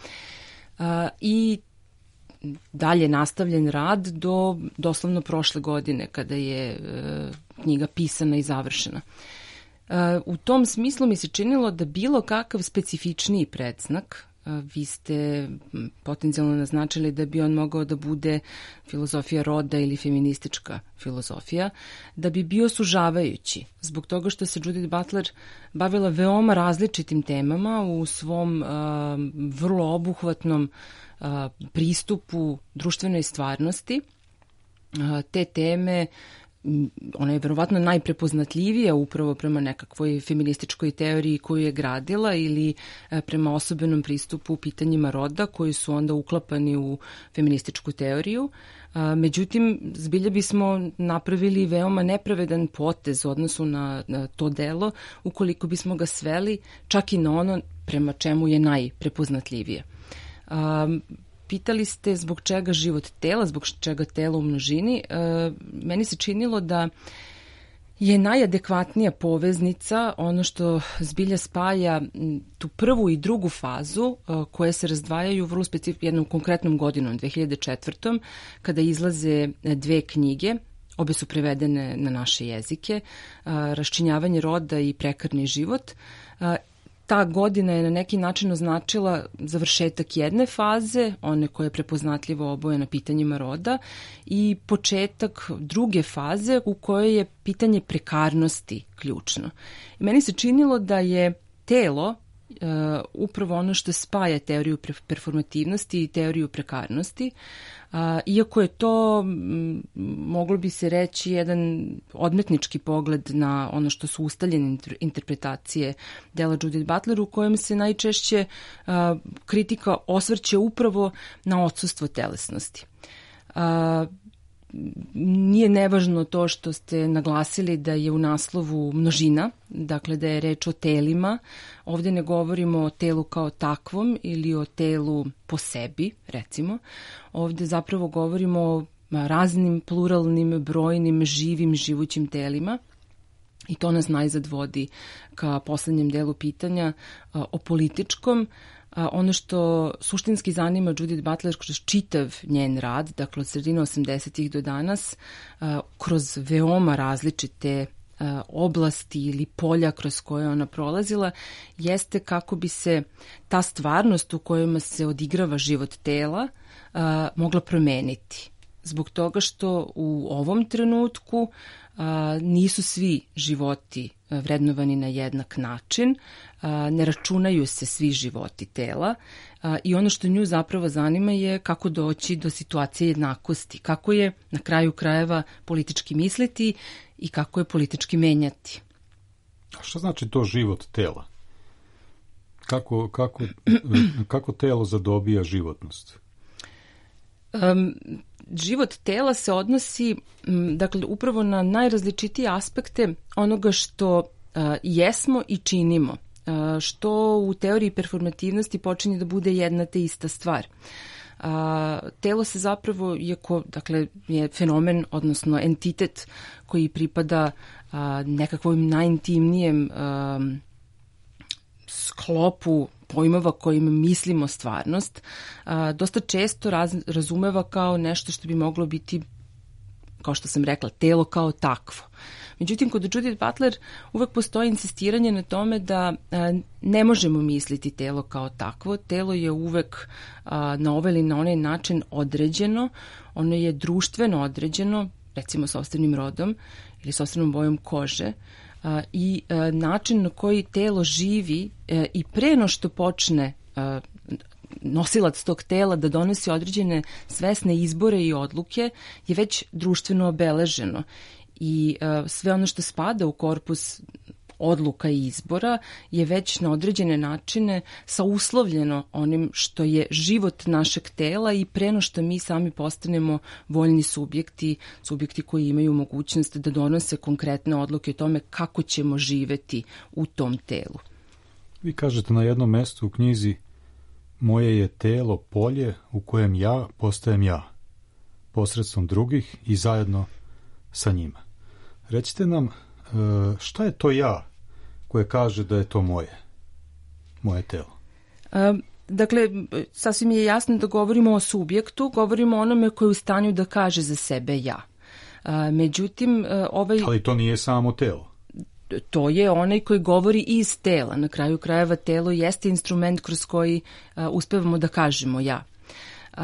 i dalje nastavljen rad do doslovno prošle godine kada je knjiga pisana i završena. U tom smislu mi se činilo da bilo kakav specifičniji predznak, vi ste potencijalno naznačili da bi on mogao da bude filozofija roda ili feministička filozofija, da bi bio sužavajući, zbog toga što se Judith Butler bavila veoma različitim temama u svom uh, vrlo obuhvatnom uh, pristupu društvenoj stvarnosti. Uh, te teme ona je verovatno najprepoznatljivija upravo prema nekakvoj feminističkoj teoriji koju je gradila ili prema osobenom pristupu u pitanjima roda koji su onda uklapani u feminističku teoriju. Međutim, zbilja bismo napravili veoma nepravedan potez u odnosu na, na to delo ukoliko bismo ga sveli čak i na ono prema čemu je najprepoznatljivije. Pitali ste zbog čega život tela, zbog čega telo u množini. E, meni se činilo da je najadekvatnija poveznica ono što zbilja spaja tu prvu i drugu fazu e, koje se razdvajaju vrlo specifično jednom konkretnom godinom, dve hiljade četvrtom kada izlaze dve knjige. Obe su prevedene na naše jezike, e, Raščinjavanje roda i Prekarni život. E, Ta godina je na neki način označila završetak jedne faze, one koje je prepoznatljivo obojena pitanjima roda, i početak druge faze u kojoj je pitanje prekarnosti ključno. I meni se činilo da je telo uh, upravo ono što spaja teoriju performativnosti i teoriju prekarnosti, uh, iako je to, m, moglo bi se reći, jedan odmetnički pogled na ono što su ustaljene interpretacije dela Judith Butler, u kojem se najčešće uh, kritika osvrće upravo na odsustvo telesnosti. Uh, Nije nevažno to što ste naglasili da je u naslovu množina, dakle da je reč o telima. Ovdje ne govorimo o telu kao takvom ili o telu po sebi, recimo. Ovdje zapravo govorimo o raznim pluralnim, brojnim, živim, živućim telima. I to nas najzad vodi ka poslednjem delu pitanja o političkom. Ono što suštinski zanima Judith Butler kroz čitav njen rad, dakle od sredine osamdesetih do danas, kroz veoma različite oblasti ili polja kroz koje ona prolazila, jeste kako bi se ta stvarnost u kojima se odigrava život tela mogla promeniti. zbog toga što u ovom trenutku a, nisu svi životi vrednovani na jednak način, a, ne računaju se svi životi tela a, i ono što nju zapravo zanima je kako doći do situacije jednakosti, kako je na kraju krajeva politički misliti i kako je politički menjati. A šta znači to život tela? Kako, kako, kako telo zadobija životnost? Um, život tela se odnosi m, dakle, upravo na najrazličitije aspekte onoga što uh, jesmo i činimo, uh, što u teoriji performativnosti počinje da bude jedna te ista stvar. A, telo se zapravo, iako dakle, je fenomen, odnosno entitet koji pripada a, nekakvom najintimnijem a, sklopu pojmova kojim mislimo stvarnost, a, dosta često raz, razumeva kao nešto što bi moglo biti, kao što sam rekla, telo kao takvo. Međutim, kod Judith Butler uvek postoji insistiranje na tome da a, ne možemo misliti telo kao takvo. Telo je uvek a, na ovaj ili na onaj način određeno, ono je društveno određeno, recimo sopstvenim rodom ili sopstvenom bojom kože, a, i a, način na koji telo živi a, i pre no što počne a, nosilac tog tela da donosi određene svesne izbore i odluke je već društveno obeleženo. I uh, sve ono što spada u korpus odluka i izbora je već na određene načine sauslovljeno onim što je život našeg tela i pre no što mi sami postanemo voljni subjekti, subjekti koji imaju mogućnost da donose konkretne odluke o tome kako ćemo živeti u tom telu. Vi kažete na jednom mestu u knjizi: moje je telo polje u kojem ja postajem ja, posredstvom drugih i zajedno sa njima. Recite nam, šta je to ja koje kaže da je to moje, moje telo? Um. Dakle, sasvim je jasno da govorimo o subjektu, govorimo o onome koji je u stanju da kaže za sebe ja. Međutim, ovaj... Ali to nije samo telo. To je onaj koji govori iz tela. Na kraju krajeva telo jeste instrument kroz koji uspevamo da kažemo ja. Uh,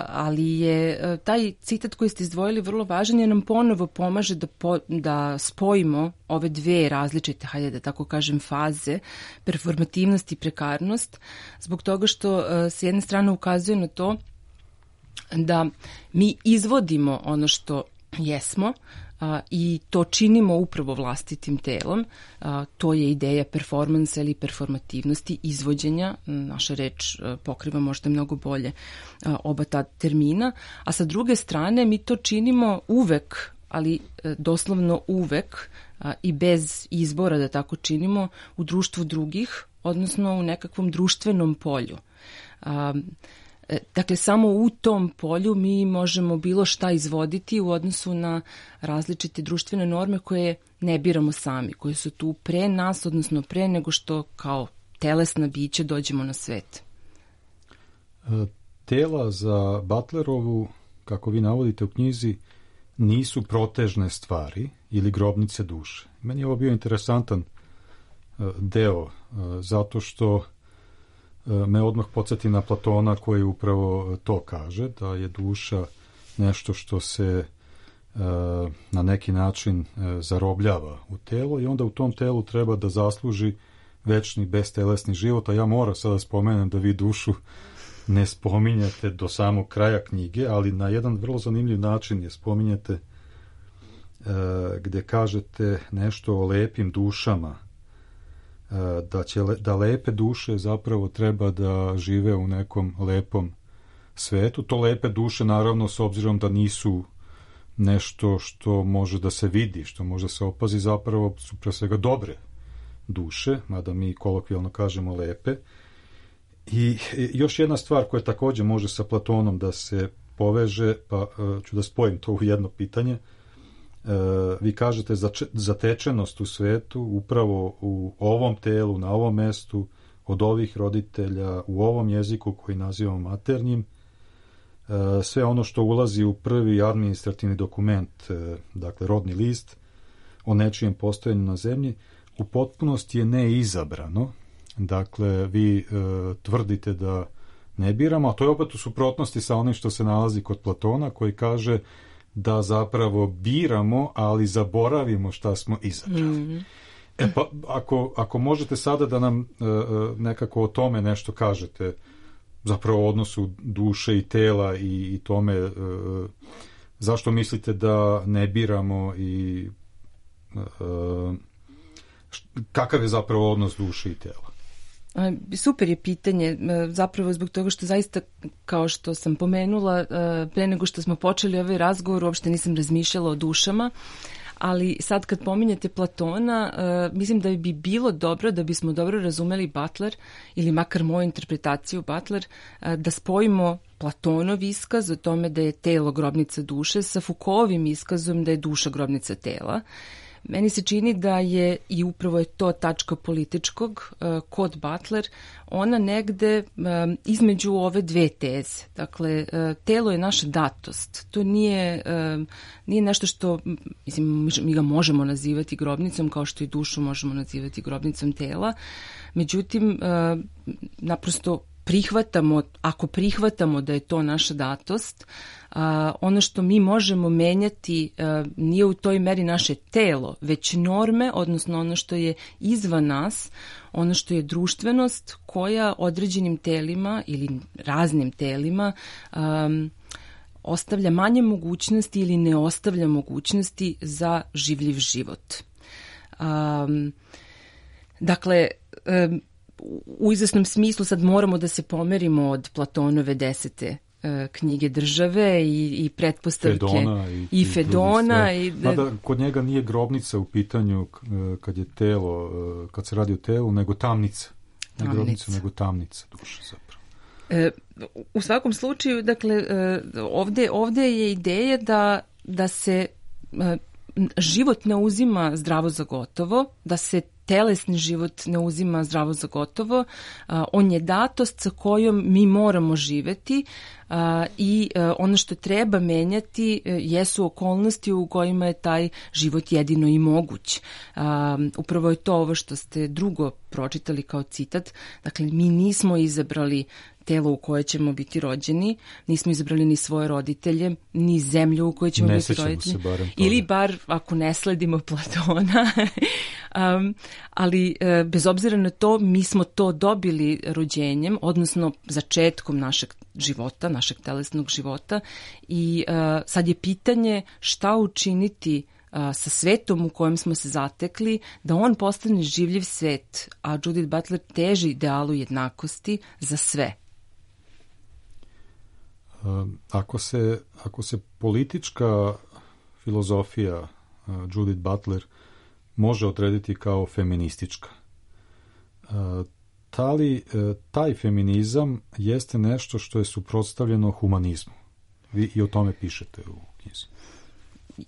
ali je uh, taj citat koji ste izdvojili vrlo važan jer nam ponovo pomaže da, po, da spojimo ove dve različite, hajde da tako kažem, faze, performativnost i prekarnost, zbog toga što uh, s jedne strane ukazuje na to da mi izvodimo ono što jesmo, a, i to činimo upravo vlastitim telom. A, to je ideja performansa ili performativnosti, izvođenja. Naša reč a, pokriva možda mnogo bolje a, oba ta termina. A sa druge strane mi to činimo uvek, ali a, doslovno uvek a, i bez izbora da tako činimo u društvu drugih, odnosno u nekakvom društvenom polju. A, Dakle, samo u tom polju mi možemo bilo šta izvoditi u odnosu na različite društvene norme koje ne biramo sami, koje su tu pre nas, odnosno pre nego što kao telesna bića dođemo na svet. Tela za Butlerovu, kako vi navodite u knjizi, nisu protežne stvari ili grobnice duše. Meni je ovo bio interesantan deo, zato što me odmah podsjeti na Platona koji upravo to kaže, da je duša nešto što se e, na neki način e, zarobljava u telo i onda u tom telu treba da zasluži večni bestelesni život, a ja moram sada spomenem da vi dušu ne spominjete do samog kraja knjige, ali na jedan vrlo zanimljiv način je spominjete e, gde kažete nešto o lepim dušama, da će da lepe duše zapravo treba da žive u nekom lepom svetu. To lepe duše naravno s obzirom da nisu nešto što može da se vidi, što može da se opazi, zapravo su pre svega dobre duše, mada mi kolokvijalno kažemo lepe. I još jedna stvar koja takođe može sa Platonom da se poveže, pa ću da spojim to u jedno pitanje. Vi kažete zatečenost u svetu upravo u ovom telu, na ovom mestu, od ovih roditelja, u ovom jeziku koji nazivamo maternjim, sve ono što ulazi u prvi administrativni dokument, dakle rodni list o nečijem postojanju na zemlji, u potpunosti je neizabrano. Dakle, vi tvrdite da ne biramo, a to je opet u suprotnosti sa onim što se nalazi kod Platona, koji kaže da zapravo biramo, ali zaboravimo šta smo izabrali. Mm-hmm. E pa, ako, ako možete sada da nam e, nekako o tome nešto kažete, zapravo o odnosu duše i tela i, i tome, e, zašto mislite da ne biramo i e, kakav je zapravo odnos duše i tela? Super je pitanje, zapravo zbog toga što zaista, kao što sam pomenula, pre nego što smo počeli ovaj razgovor, uopšte nisam razmišljala o dušama, ali sad kad pominjete Platona, mislim da bi bilo dobro, da bismo dobro razumeli Butler, ili makar moju interpretaciju Butler, da spojimo Platonov iskaz o tome da je telo grobnica duše sa Foucaultovim iskazom da je duša grobnica tela. Meni se čini da je, i upravo je to tačka političkog uh, kod Butler, ona negde um, između ove dve teze. Dakle, uh, telo je naša datost. To nije, um, nije nešto što, mislim, mi ga možemo nazivati grobnicom, kao što i dušu možemo nazivati grobnicom tela. Međutim, uh, naprosto prihvatamo, ako prihvatamo da je to naša datost, a, ono što mi možemo menjati a, nije u toj meri naše telo, već norme, odnosno ono što je izvan nas, ono što je društvenost koja određenim telima ili raznim telima a, ostavlja manje mogućnosti ili ne ostavlja mogućnosti za življiv život. A, dakle, a, u izvesnom smislu sad moramo da se pomerimo od Platonove desete e, knjige države i, i pretpostavke Fedona i, i Fedona. I, Mada kod njega nije grobnica u pitanju kad je telo, kad se radi o telu, nego tamnica. Ne grobnica, nego tamnica duše zapravo. E, u svakom slučaju, dakle, e, ovde, ovde je ideja da, da se e, život ne uzima zdravo za gotovo, da se telesni život ne uzima zdravo za gotovo, on je datost sa kojom mi moramo živeti i ono što treba menjati jesu okolnosti u kojima je taj život jedino i moguć. Upravo je to ovo što ste drugo pročitali kao citat. Dakle, mi nismo izabrali telo u koje ćemo biti rođeni, nismo izabrali ni svoje roditelje, ni zemlju u kojoj ćemo ne biti rođeni. Barem ili bar, ako ne sledimo Platona, um, ali uh, bez obzira na to, mi smo to dobili rođenjem, odnosno začetkom našeg života, našeg telesnog života i uh, sad je pitanje šta učiniti uh, sa svetom u kojem smo se zatekli, da on postane življiv svet, a Judith Butler teži idealu jednakosti za sve. Ako se, ako se politička filozofija Judith Butler može odrediti kao feministička, ta li, taj feminizam jeste nešto što je suprotstavljeno humanizmu? Vi i o tome pišete u knjizi.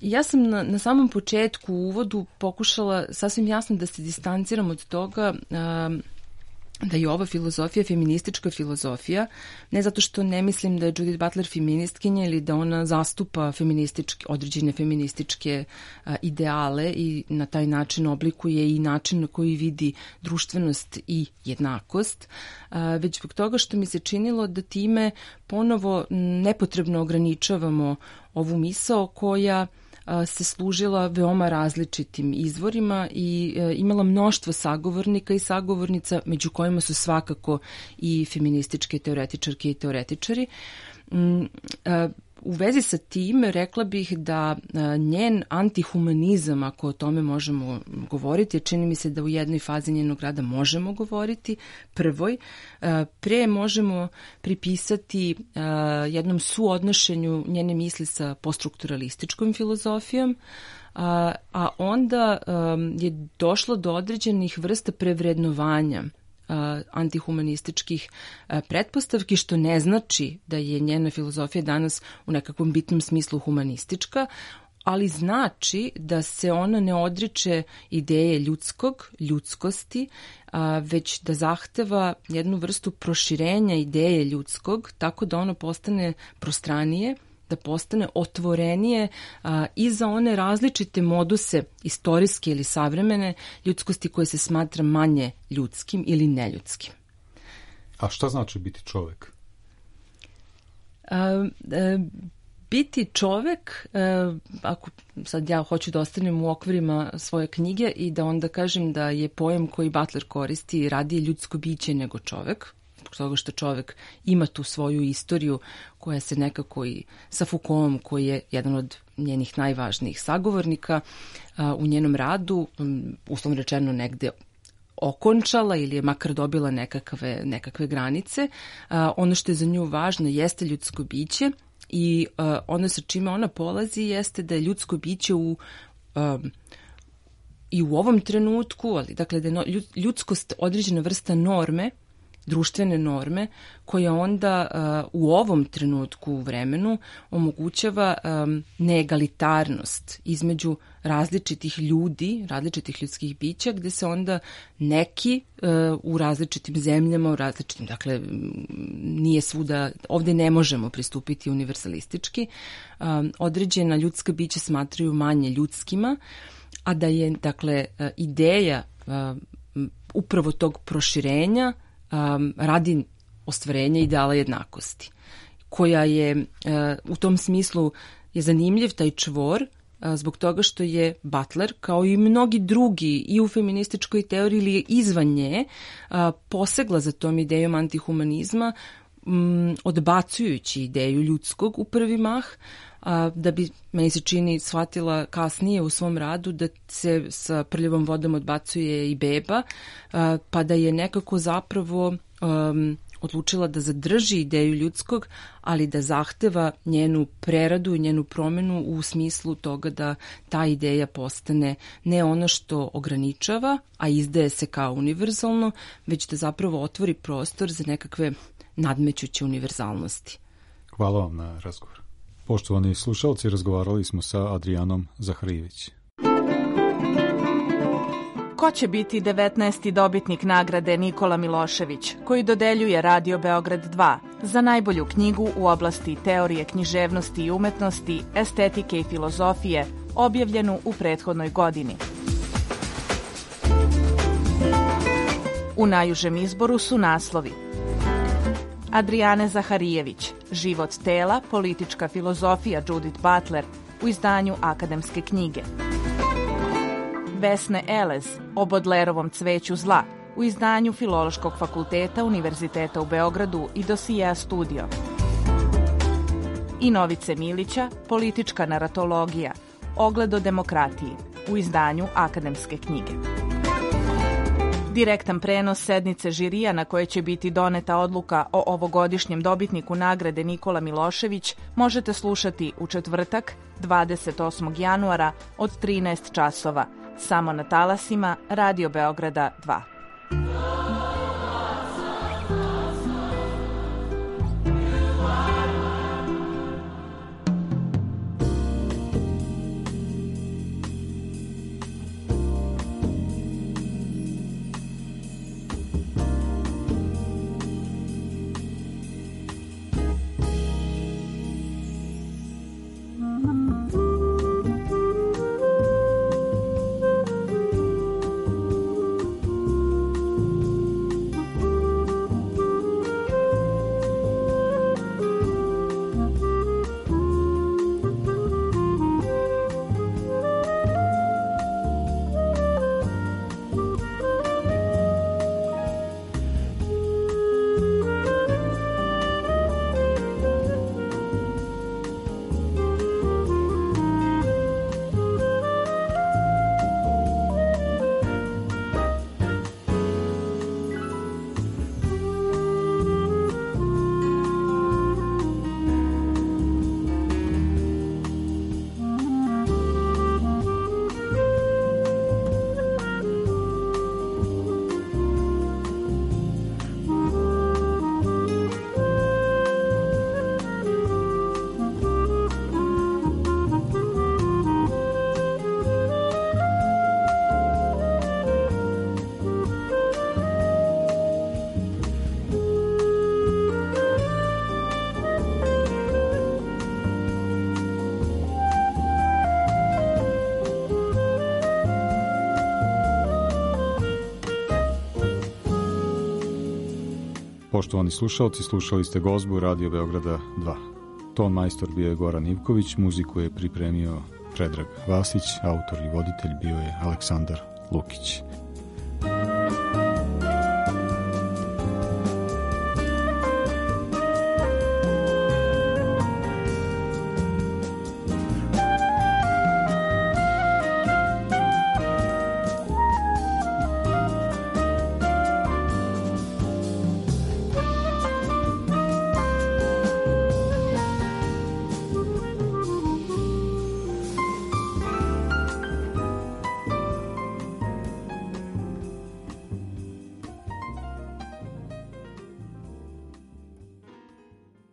Ja sam na, na samom početku u uvodu pokušala sasvim jasno da se distanciram od toga um, da je ova filozofija feministička filozofija, ne zato što ne mislim da je Judith Butler feministkinja ili da ona zastupa feminističke, određene feminističke a, ideale i na taj način oblikuje i način na koji vidi društvenost i jednakost, a, već zbog toga što mi se činilo da time ponovo nepotrebno ograničavamo ovu misao koja se služila veoma različitim izvorima i e, imala mnoštvo sagovornika i sagovornica, među kojima su svakako i feminističke teoretičarke i teoretičari. Mm, e, u vezi sa tim rekla bih da e, njen antihumanizam, ako o tome možemo govoriti, čini mi se da u jednoj fazi njenog rada možemo govoriti, prvoj, e, pre možemo pripisati e, jednom suodnošenju njene misli sa poststrukturalističkom filozofijom, a, a onda e, je došlo do određenih vrsta prevrednovanja antihumanističkih pretpostavki, što ne znači da je njena filozofija danas u nekakvom bitnom smislu humanistička, ali znači da se ona ne odriče ideje ljudskog, ljudskosti, već da zahteva jednu vrstu proširenja ideje ljudskog, tako da ono postane prostranije, da postane otvorenije a, i za one različite moduse istorijske ili savremene ljudskosti koje se smatra manje ljudskim ili neljudskim. A šta znači biti čovek? A, a, biti čovek, a, ako sad ja hoću da ostanem u okvirima svoje knjige i da onda kažem da je pojam koji Butler koristi radije ljudsko biće nego čovek, zbog toga što čovek ima tu svoju istoriju koja se nekako i sa Foucaultom, koji je jedan od njenih najvažnijih sagovornika a, u njenom radu, um, uslovno rečeno negde okončala ili je makar dobila nekakve, nekakve granice. A, ono što je za nju važno jeste ljudsko biće i a, ono sa čime ona polazi jeste da je ljudsko biće u a, i u ovom trenutku, ali dakle da je ljudskost određena vrsta norme, društvene norme, koja onda uh, u ovom trenutku u vremenu omogućava um, neegalitarnost između različitih ljudi, različitih ljudskih bića, gde se onda neki uh, u različitim zemljama, u različitim, dakle, nije svuda, ovde ne možemo pristupiti univerzalistički, um, određena ljudska bića smatraju manje ljudskima, a da je, dakle, ideja uh, upravo tog proširenja Um, radi ostvarenja ideala jednakosti, koja je uh, u tom smislu je zanimljiv taj čvor uh, zbog toga što je Butler, kao i mnogi drugi i u feminističkoj teoriji ili izvan nje, uh, posegla za tom idejom antihumanizma, um, odbacujući ideju ljudskog u prvi mah, a, da bi, meni se čini, shvatila kasnije u svom radu da se sa prljavom vodom odbacuje i beba, a, pa da je nekako zapravo um, odlučila da zadrži ideju ljudskog, ali da zahteva njenu preradu i njenu promenu u smislu toga da ta ideja postane ne ono što ograničava, a izdaje se kao univerzalno, već da zapravo otvori prostor za nekakve nadmećuće univerzalnosti. Hvala vam na razgovor. Poštovani slušalci, razgovarali smo sa Adrijanom Zaharijević. Ko će biti devetnaesti dobitnik nagrade Nikola Milošević, koji dodeljuje Radio Beograd dva za najbolju knjigu u oblasti teorije književnosti i umetnosti, estetike i filozofije, objavljenu u prethodnoj godini? U najužem izboru su naslovi: Adrijane Zaharijević, Život tela, politička filozofija Judith Butler u izdanju Akademske knjige. Vesne Elez o Bodlerovom cveću zla u izdanju Filološkog fakulteta Univerziteta u Beogradu i Dosija Studio. I Novice Milića, Politička naratologija, Ogled o demokratiji u izdanju Akademske knjige. Direktan prenos sednice žirija na koje će biti doneta odluka o ovogodišnjem dobitniku nagrade Nikola Milošević možete slušati u četvrtak, dvadeset osmog januara od trinaest časova, samo na talasima Radio Beograda dva. Poštovani slušalci, slušali ste gozbu Radio Beograda dva. Ton majstor bio je Goran Ivković, muziku je pripremio Predrag Vasić, autor i voditelj bio je Aleksandar Lukić.